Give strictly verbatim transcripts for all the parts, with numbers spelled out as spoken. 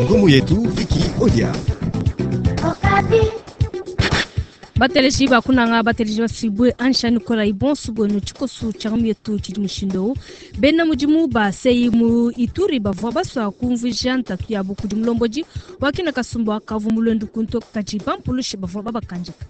Ngumu yetu Vicky Odia. Bateleji bakunanga, bateleji basibwe ansha nikola ibonso bwenu. Tshikosu tshia yetu tshidi mushindo: bena mudimu ba C E I mu Ituri bavua basua kumvuija ntatu yabu kudi mulombodi wakina kasumbu akavu mulwendu kunto, kadi bampulushi bavua babakandika.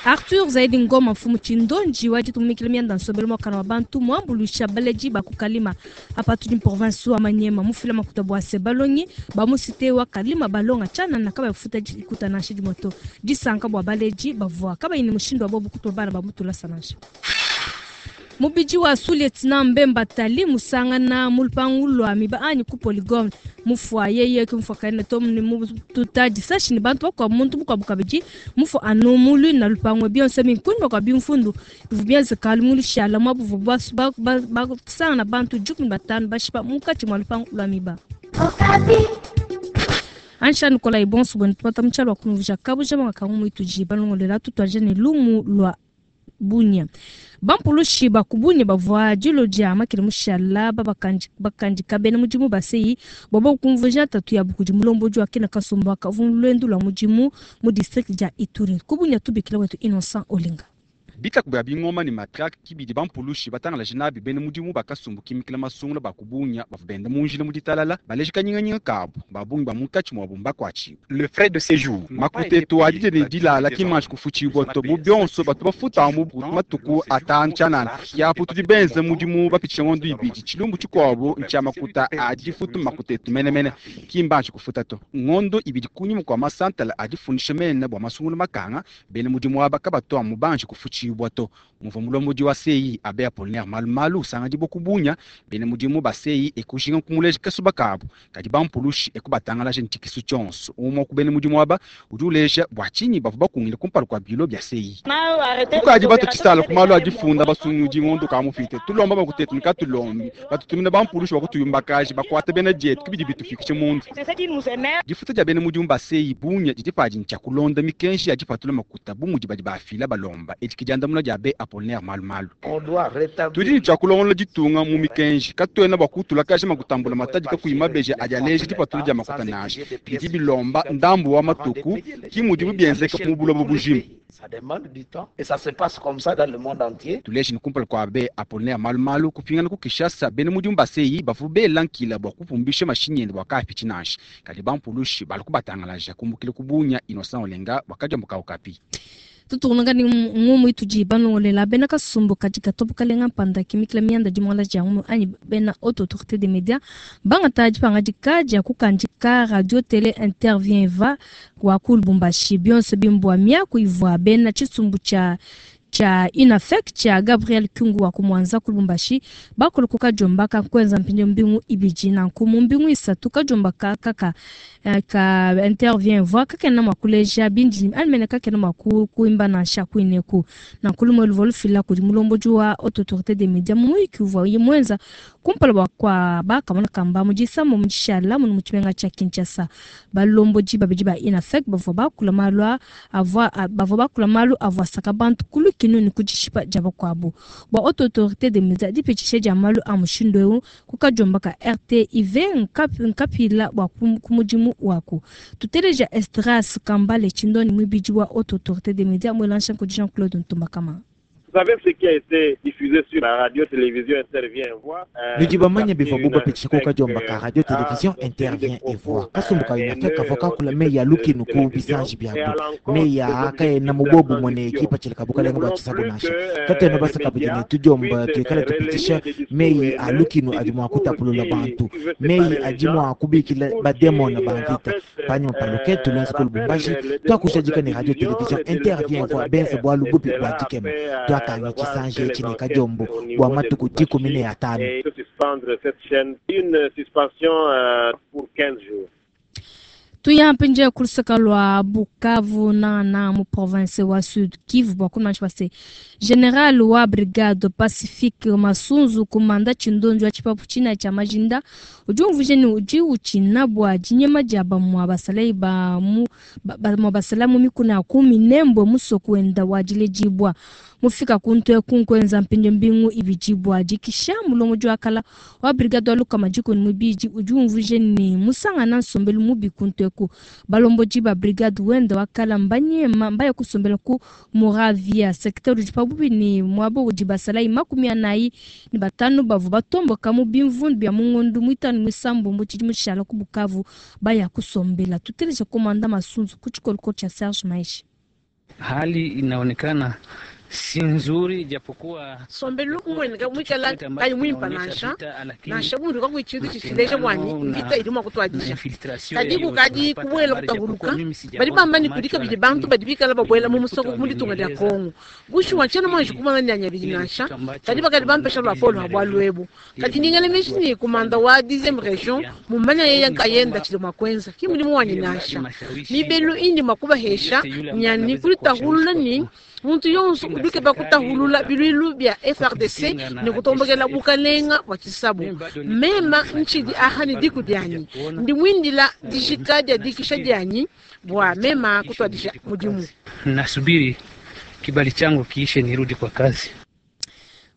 Arthur Zaidi Ngoma, mfumu tshindonji wa ditumikila mianda nsombelu mwakana wa bantu, muambuluisha baledi bakukalima apa tudi province wa Manyema, mufila makuta bua se balongi ba mu cité wa Kalima balonga tshianana, kabafuta dikuta nansha dimoto. Disanka bua baledi bavua kabayi ne mushindu wa bobu kutuma bana ba mutulasa nansha. Mubidi wa sous-lieutenant Mbemba Tali musangana mu lupangu lwa miba anyi ku Polygone, mufua yeye ke mufua kaina to ne mututa disashi ne bantu bakuabu, muntu mukuabu kabidi mufua anu mulu na lupangu. Bionso minkunyima kua bimfundu bivua bienzeka mu lushala muabu basangana bantu dikumi batanu bashipa munkatshi mua lupangu lwa miba. Ansha nikola ibonso bwenu, tupata mutshalo wa kunuvija kabuja makakangu muituji balongolela. Tutwaje ne lumu lwa Bunia. Bampulushi bakubunya bavua dilo dia makele mushala bakandika bena mudimu ba C E I bwaba kumvuija ntatu yabu kudi mulombodi wa kena kasumbu akavu lwendu lwa mudimu mu district dia Ituri. Kubunya, tubikila wetu Innocent Olinga. Bitaku bya bingoma ne matrake kibidi bampulushi batangalaje nabi bena mudimu bakasumbu kimikila masungula bakubunya bavua benda mu njila mu ditalala, baleje kanyinganyinga kabu. Babungi ba munkatshi muabu mbakuatshibua. Le frais de séjour. Makuta etu adi ne dilala kimanshi kufutshibua to. Mu bionso batu bafuta mu matuku atanu tshianana yapu. Tudi benze mudimu bapitshisha ngondo ibidi. Tshilumbu tshikuabu ntshia makuta a difutu. Makuta etu menemene kimbanshi kufuta to ngondo ibidi kunyima kua masantala adifundisha mene bua masungula makanga. Bena mudimu aba kabatu amu banshi kufutshibua to. Muvua mulombodi wa C E I abe Apollinaire Malumalu usanga kubunya bena mudimu ba C E I ekujinga kumuleja kasuba kabu, kadi bampulushi ekubatangalaje ntshikisu tshionso. Umwe ku bena mudimu aba udi uleja bua tshinyi bavua bakungile kumpala kua bilo bia C E I. Tukadi batutshisala ku malu a difunda basungudi ngondo ka mufite. Tulomba makutetu nikatulombi, batutumina bampulushi bakutuyumbakaji, bakuata bena dietu kibidi bitufikishe mundu. Difuta dia bena mudimu ba C E I bunya didi padi ntshia kulonda mikenji ya dipatula makuta bu mudi badi bafila balomba. Edi kidiandamuna dia be Apollinaire Malumalu: tudi ne tshia kulongola ditunga mu mikenji, katuena bua kutulakaja makutambula matadi kakuyi mabeji adi aleja dipatula dia makuta nansha. Bidi bilomba ndambu wa matuku, ki mudimu bienzeka mu buloba bujima. Ça demande du temps et ça se passe comme ça dans le monde entier. Tuleje ni kumpala kua be Apollinaire Malumalu kupingana ku Kinshasa, bena mudimu ba C E I bavua bela nkila bua kupumbisha mashinyi ende bua kaapitshi nansha, kadi bampulushi balu kubatangalaja. Kumbukila ku Bunya, Innocent Olenga wakadiambuka Okapi. Tutukunanga ni ngumu itudi balongolela: bena kasumbu kadi katobokalenga mpanda kimikila mianda dimuala dia ngumu anyi bena Haute Autorité des Médias bangata dipangadika dia kukandika radio télé Intervient va wa ku Lubumbashi. Bionso bimbua miaku ivua bena tshisumbu tshia tshia UNAFEC tshia Gabriel Kyungu wa kumwanza ku Lubumbashi bakoloka kajomba kakwenza mpindio mbingu ibidi nanku mu mbingu isatu kajomba ka kaka eh, ka Intervient voix kakena mwa kuleja bindi alimene kakena mwa ku- kuimba nansha kuineku. Nanku lumwe luvua lufila kudi mulombodi wa Haute Autorité des Médias mu muyiki uvua ye mwenza kumpala bua kwa bakamona kamba mu disambo mu dishala munu mu tshimenga tshia Kinshasa. Balombodi babidi ba UNAFEC bavua bakula malu a- avua bavua bakula malu avua asaka bantu ku lukinu ne ku dishipa dia bakuabu. Bua Haute Autorité des Médias, dipitshisha dia malu a mushindu eu ku kajomba ka R T I V nkapi- nkapila bua ku ku mudimu waku. Tuteleja Esdras Kambale Tshindoni, muibidi wa Haute Autorité des Médias, mwelancha kudi Jean Claude Ntumbakama. Vous savez ce qui a été diffusé sur la radio-télévision Intervient Voix. Nudi bamanya bivua bupitshisha ku kadiomba ka radio télévision Intervient et Voix. Kasumbu ka UNAFEC kavua kakula meyi a lukinu ku bisanji biabu, meyi a kaena mu bobumwe ne kipatshila ka bukalenga bua tshisabu nansha. Katuena basa kabidi ne tudiomba tuikale tupitisha meyi a lukinu adi mua kutapulula bantu, meyi adi mua kubikila bademona ba mvita. Panyima pa luketu luenza ku Lubumbashi, tuakushadika ne radio télévision Intervient Voix benze bwalu bubi bua dikema. Twakanga tshisanji etshi ne kadiombo bua matuku dikumi ne atanu. Et suspendre cette chaîne, une suspension euh, pour quinze jours. Tuya mpinje kulusaka lwa Bukavu na na mu province wa Sud Kivu bua kumanshi base général wa brigade Pacifique Masunzu kumanda tshindonjo wa tshipapu tshina tshia Majinda udi umvuje ni udi utshina bua dinyema dia bamua basalai ba mu ba- bamua basala mu mikuna ya ku Minembwe musoko wenda wa diledibua. Mufika kuntu eku nkuenza mpindieu mbingu ibidi bua dikisha mulongodi wa kala wa brigade wa lukama dikumi ne muibidi udi umvuija ne musangana nsombelu mubi kuntu eku. Balombodi ba brigade wenda wa kala mbanyema mbaya kusombela ku Moravia secteur udi pabuipi ne muaba udi basalayi makumi anayi ne batanu bavua batomboka mu bimvundu bia mu ngondo muitanu muisambombo tshidimu tshishala ku Bukavu baya kusombela. Tuteleje komanda Masunzu ku tshikoloko tshia Serge Maeshe. Hali inaonekana si nzuri, japokuwa sombelu umueneka muikala kayi muimpa nansha nansha bundu kakuyi tshintu tshileja bwanyi mvita idi mua kutuadija kadi kukadi kubuela kutahuluka badi bamba ne kudi kabidi bantu badi bikala babuela mu musoko mu ditunga dia Kongo bushuwa ntshiena muanji kumana nyanya bidi nansha kadi bakadi bampesha luapolo lua bualu ebu kadi ndingela meji ne komanda wa dixième region mumanya yeye nkayenda tshidi mua kuenza ki mudimu wanyi nansha mibelu indi mua kubahesha nyani kulitahulula ni muntu yonso udi ukeba kutahulula biluilu bia F R D C ne kutombokela bukalenga bua tshisabu mema ntshidi aha ne diku dianyi ndi muindila dijika dia dikisha dianyi bua mema kutuadija mudimu. Nasubiri kibali changu kiishe nirudi kwa kazi.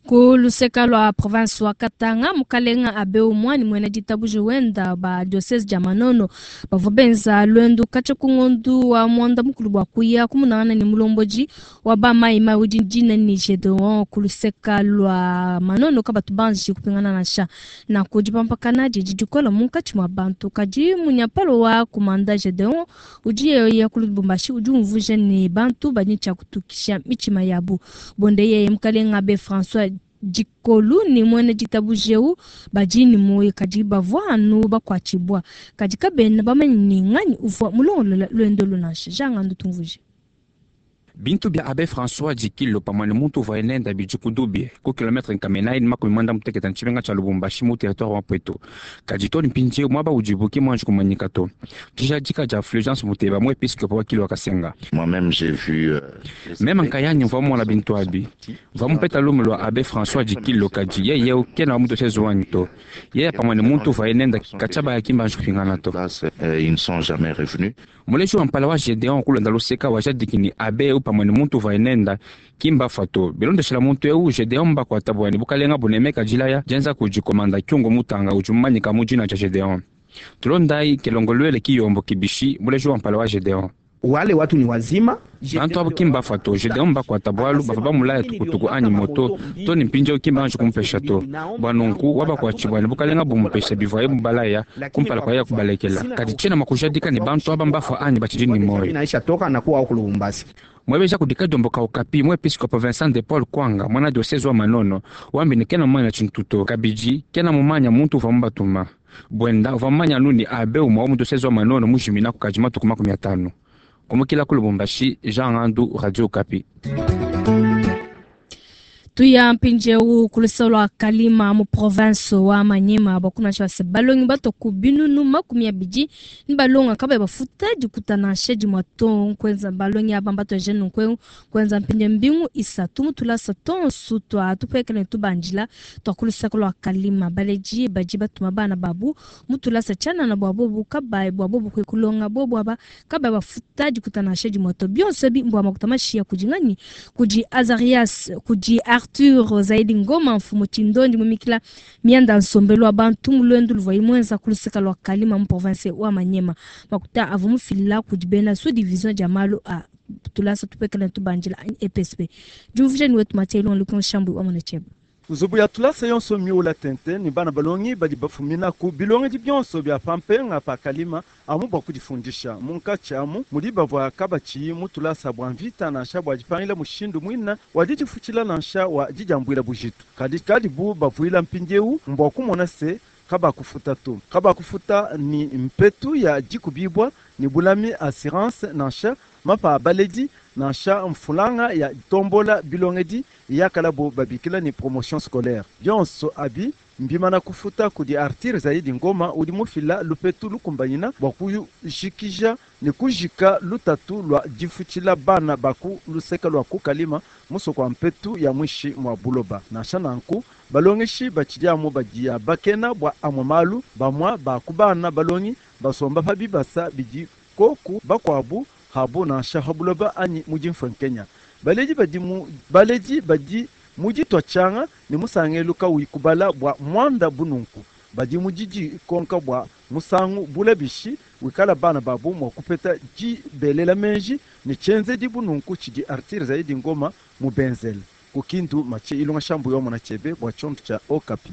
Ku luseka lua province wa Katanga mukalenga abe umwani mwene ditabuje wenda ba diocese dia Manono bavua benza lwendu katshia ku ngondu wa mwanda mukulu bua kuya kumunangana ne mulomboji wa ba maima udi dina ni Gedeon ku luseka lua Manono kabatu banji kupingana nansha na kudipampakana didi dikola munkatshi mua bantu kadi munyapalo wa kumanda Gedeon udi yeye ku Lubumbashi udi umvuija ne bantu badi tshia kutukisha mitshima yabu bonde yeye mukalenga abe François Dikolu ni mwene ditabujeu badi ni moyo kadi bavua anu bakuatshibua kadi kabena bamanye ni nganyi uvua mulongolola lwendo lunansha jangandu tumvuje. Bintu bia abe François Dikilo pamwe ne muntu uvua enenda bidi kudubi ku kilometre nkama inayi makumi mwanda mutekete ntshimenga tshia Lubumbashi mu territoire wa Pweto kadi to mpindieu muaba udibu ki muanji kumanyika to dijadika dia Fulgence Muteba mu episcope wa Kilo Kasenga. Moi-même j'ai vu euh, meme nkayani mvua mona bintu abi mvua mupeta lumu lua abe François Dikilo kadi yeye ukena wa mutu wanyi to yeye pamwe ne muntu uvua enenda katshia bayaki mbanji kupingana to. Ils ne sont jamais revenus. Muleji wa mpala wa Gedeon kulonda luseka wa jadiki ni abe pamwe ne muntu uvua enenda kimba fato bilondeshela muntu eu Gedeon mbakuata bwani bukalenga bunemeka jilaya jenza kujikomanda kyungo mutanga udi mumanyika mu dina dia Gedeon tulondai kelongolwele kiyombo kibishi muleji wa mpala wa Gedeon. Wale watu ni wazima bantu abo kimba fato Gedeon mbakuata bwalu bava bamulaya tukutuku anyi moto to ni mpindieu kimba anji kumpesha to bwa nunku wabakuatshibwani bukalenga bumupesha bivuaye mubalaya kumpala kwa yeye kubalekela kadi tshiena mwakujadika ni bantu aba mbafa anyi batshidi ni moyo inaisha toka na kuwa huko Lubumbashi. Mwebeja kudika domboka okapi mwepiskopo Vincent de Paul Kwanga mwana diocese wa Manono wambi ni kena mumanya tshintuto kabidi kena mumanya muntu uva mubatuma bwenda uva mumanya nuni abe umwa wa mu diocese wa Manono mujimina kukadi matuku makumi atanu kumukila ku Lubumbashi Jean Ngandu Radio Okapi. Tuya mpindieu ku lua Kalima mu province wa Manyema bakuna tshia balongi batoku binunu makumi abidi ni balonga kabayi bafuta dikutana shedi mwato nkwenza balongi aba mbato jene nkwe kwenza mpinde mbingu isatu mutulasa tonsu twa tupekele tubandila twa ku lua Kalima baleji baji batuma bana babu mutulasa tshianana bua bobu kabayi bua bobu kwe kulonga bobu aba kabayi bafuta dikutana shedi mwato bionso bi mbua makuta mashiya kudi nganyi kudi Azarias kudi Arthur Zaidi Ngoma mfumu Chindondi mumikila mianda nsombelu wa bantu mulwendu luvua imwenza kuluseka lua Kalima mu province wa Manyema makuta avua mufilila kudi bena sous division dia malu a tulasa tupekele tubanjila E P S P jumvujeni wetu Mathieu Lukon Shambu wa Monecheba. Nzubu ya tulasa yonso miula tente ni bana balongi badi bafumina ku bilongedi bionso bia pampenga pa Kalima amu bua kudifundisha munkatshi amu mudi bavua kabatshiyi mu tulasa bua mvita nansha bua dipangila mushindu muina wa didifutshila nansha wa didiambuila bujitu kadi kadibu bavuila mpindieu mbua kumona se kabakufuta to kabakufuta ni mpetu ya dikubibwa ni bulami assurance nansha mapa baledi nansha mfulanga ya tombola bilongedi yakalabo babikila ni promotion scolaire bionso abi mbimana kufuta kudi Arthur Zaidi Ngoma udi mufila lupetu lukumbanyina bua kujikija ni kujika lutatu lua difutshila bana baku luseka lua kukalima musoko wa mpetu ya mwishi mwa buloba nansha nanku balongeshi batshidi amu badia bakena bua amwe malu bamwa baku bana balongi basomba pa bibasa bidi koku bakuabu habu nansha ha buloba anyi mudi mfwenkenya Baledi badi mu baledi badi mu ditua tshianga ne musangelu kawuyi kubala bua muanda bu nunku. Badi mu didikonka bua musangu bule bishi wikala bana babu mua kupeta dibelela meji ne tshienzedi bu nunku tshidi Arthur Zaidi Ngoma mubenzele. Ku Kindu, Mathieu Ilunga Shambu yomona tshiebe bua tshiondo tshia Okapi.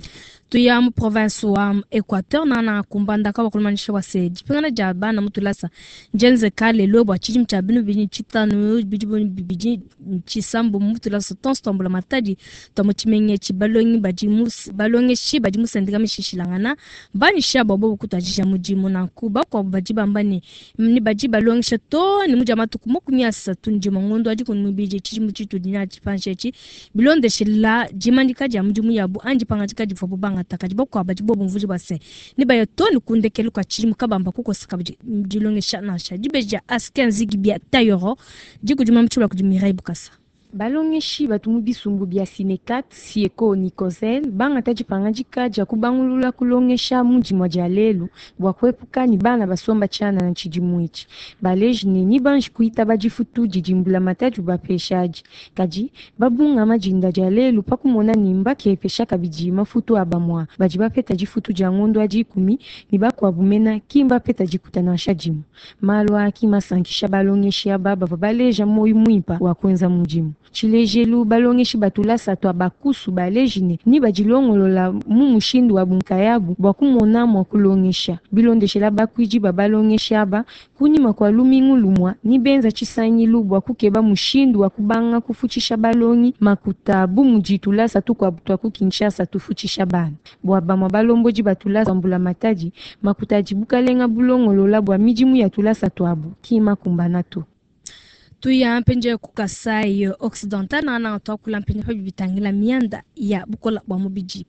Tuya mu province wa Equateur nana kumbandaka wakulumanyisha bua se dipingana dia bana mu tulasa njenzeka lelo bua tshidimu tshia binu bidi tshitanu bidi bidi tshisambu mu tulasa tonso twambula matadi twa mu tshimenga etshi balongi badi mu balongeshi badi mu sendika mishishilangana banyisha bua bobu kutuadija mudimu nanku bakuabu badi bamba ne ni badi balongesha to ne mudia matuku makumi asatu ndima ngondo adi kunu mibidi tshidimu tshitudi natshi panshi etshi bilondeshela dimanyika dia mudimu yabu anji pangadika divuabu bangata kadi bakuabu badi bobu mvudi bua se ne baya to ne kundekelu kua tshidimu kabamba kukosa kabidi dilongesha nansha dibeji dia askenzi bia tayoro dikudima mutshibula kudi Mireille Bukasa. Balongeshi batu mu bisumbu bia Sinekat, Sieko Nikozel bangata dipangadika dia kubangulula kulongesha mu dimua dia lelu bua kuepuka ne bana basomba tshianana tshidimu etshi. Baleji ne ni banji kuitaba difutu didi mbulamatadi ubapeshadi, kadi babungama dinda dia lelu pa kumona ne mbakepesha kabidi mafutu a bamua badi bapeta difutu dia ngondo adi ikumi ne bakuabu mena ki mbapeta dikuta nansha dimue. Malu aa ki masankisha balongeshi aba bavua baleja moyo muimpa wa kuenza mudimu. Tshilejelu balongeshi batulasa twa bakusu baleji ne ni badilongolola mu mushindu wa bunkayabu bua kumona mua kulongesha bilondeshela bakuidi ba balongeshi aba kunyima kua lumingu lumua ni benza tshisangilu bua kukeba mushindu wa kubanga kufutshisha balongi makuta bu mudi tulasa tukuabu twa ku Kinshasa tufutshisha bana bua bamua balombodi batulasa mbula matadi makuta adi bukalenga bulongolola bua midimu ya tulasa twabu ki makumbana to. Tuya mpenje ku Kasai Occidental nana twakula mpenje pa bitangila mianda ya bukola bwa mubiji.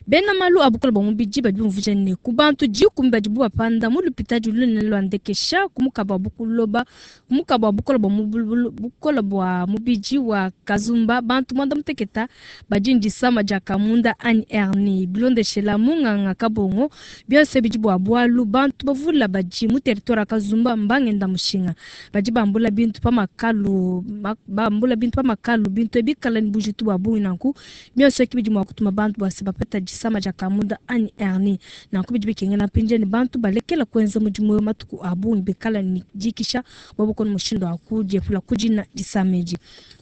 Bena malu a bukola bwa mubiji badi bumvuja ne ku bantu dikumi badi bapanda mu lupitadi lunene lwa ndekesha ku mukaba bukuloba ku mukaba bukola bwa bukola bwa mubiji wa Kazumba bantu mwanda muteketa badi ndisama dia kamunda anyi hernie bilondeshela munganga kabongo byonse bidi bwa bwalu bantu bavula badi mu territoire Kazumba mbangenda mushinga badi bambula bintu pa makalu bambula bintu pa makalu bintu ebikala ni bujitu bwa bungi nanku byonse kibidi mwa kutuma bantu bwase bapeta disama dia kamunda anyi hernie nanku bidi bikengela mpinje ni bantu balekela kuenza mudimu matuku abungi bikala ni dikisha bwabukona mushindo wa kudiepula kujina disameji.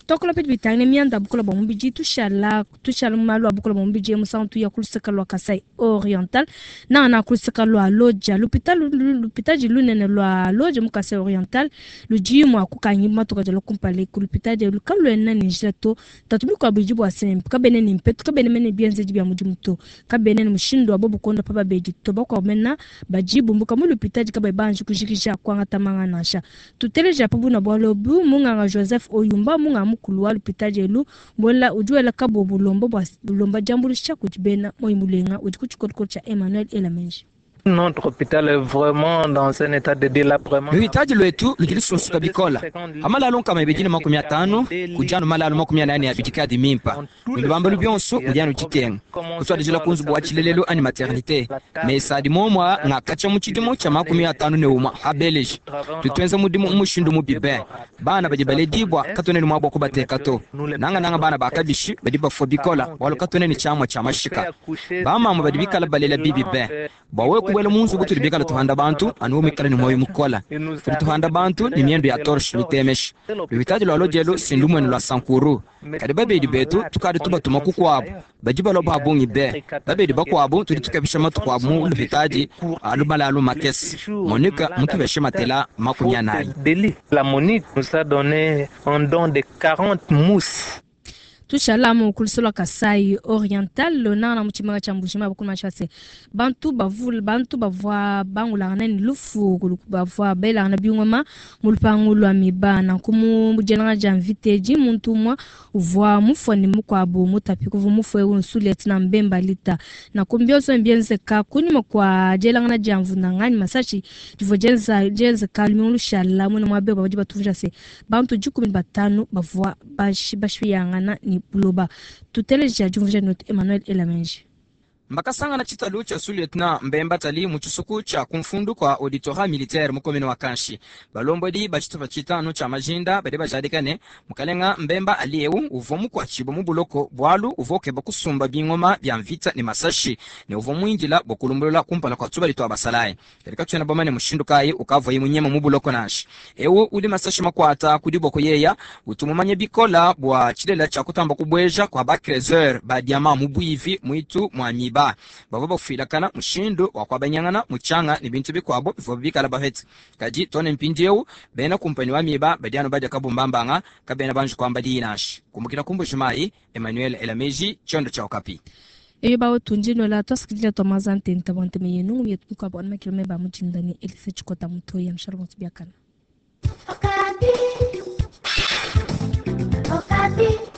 Tokola pedi bitangile mianda bukola bwa mubiji tushala tushala malu abukola bwa mubiji musantu ya kuluseka lwa Kasai Oriental na na kuluseka lwa Lodja l'hôpital l'hôpital lunene lwa Lodja mu Kasai Oriental luji mwa kukanyi matuka jalo kumpale ku l'hôpital de lukalwe na njila to tatumi kwa biji bwa sem kabene ni mpetu kabene mene bienze bya mudimu to kabene ni mushindo wa bobu konda pa beji to bakwa mena bajibu mbuka mu l'hôpital kabe banji kujikisha kwanga tamanga nasha tuteleja pabu na bwalo bu munganga Joseph Oyumba munganga mukulu wa l'hôpital elu mbola ujuela kabo bulombo bwa bulomba jambulisha kujibena moyimulenga udi kuchikolokolo cha Emmanuel Elamenji. Notre hôpital est vraiment dans un état de délabrement. Luhitaji lwetu lujilisusuka bikola amalalo nkama ibijini makumi atano kujano malalo makumi anane abijikadi mimpa mulubamba lubyonso ujano chitenga kuswadijila kunzubu wa chilelelo ani maternité mesadi momwa ngakacha muchidimo cha makumi atano ne umwa habeleji tutwenza mudimu umushindu mubibe bana badi baledibwa katone ni mwabwa kubateka to nanga nanga bana bakabishi badi bafwa bikola walo katone ni chamwa cha mashika bamama badi bikala balela bibi be bawe kubwela munzu butuli bikala tuhanda bantu anuwo mikala ni moyo mukola tuli tuhanda bantu ni miendo ya torche lutemesha lubitaji lwa lojelo sindumwene lwa sankuru kadi babedi betu tukadi tubatuma kukwabo badi baloba habungi be babedi bakwabo tuli tukabisha matukwabo mu lubitaji alumala makesi Monica mutubeshe matela makumi anayi. La Monique nous a donné un don de quarante mousses. Tushala mu kulusolo Kasai Oriental lona na muchimanga cha Mbuji-Mayi bakulu mashase bantu bavula bantu bavwa bangulana ni lufu bavwa bela na bingoma mulupangu lwa mibana kumu mujenanga ja mviteji muntu mwa uvwa mufoni mukwabo mutapi kuvu mufwe unsulet na mbemba lita na kumbyoso mbienze ka kunyuma kwa jelanga na jamvu na ngani masashi divojenza jenze kalmi lushala mwana mwabe baji batuvja se bantu jikumi batano bavwa bashi bashiyangana ni buloba tuteleja jumvuje not Emmanuel Elamenji. Mbakasangana tshitalu tshia sous-lieutenant Mbemba Tali mu tshisuku tshia kumfundu kwa auditorat militaire mu commune wa Kanshi. Balombodi ba tshitupa tshitanu tshia majinda badi bajadika ne mukalenga Mbemba Ali eu uvua mukuatshibua mu buloko bwalu uvua ukeba kusumba bingoma bya mvita ne masashi ne uvua muindila bua kulumbulula kumpala kwa tubali twa basalayi. Kadi katuena bamane mushindu kayi ukavuaye munyema mu buloko nansha. Eu udi masashi makuata ku diboko yeya utu mumanye bikola bua tshilela tshia kutamba kubweja kwa ba creuseur ba diamant mu bwivi mwitu mwa miba. Bavua bafuilakana mushindu wa kuabanyangana muchanga ne bintu bikuabo bivua bikala bapete. Kadi tone mpindieu bena kumpanyi wa miba badi anu badia kabumbambanga kabena banji kuamba diyi nansha. Kumbukila ku Mbuji-Mayi, Emmanuel Elameji, tshiondo tshia Okapi. Eyo bawo tunjinola twasikilila twa mazante ntabwante meyenu yetu bikuabo anu makilome ba mujinda ni Elise Tshikota Mutoyi ya mshalo bonso biakana. Okapi. Okapi.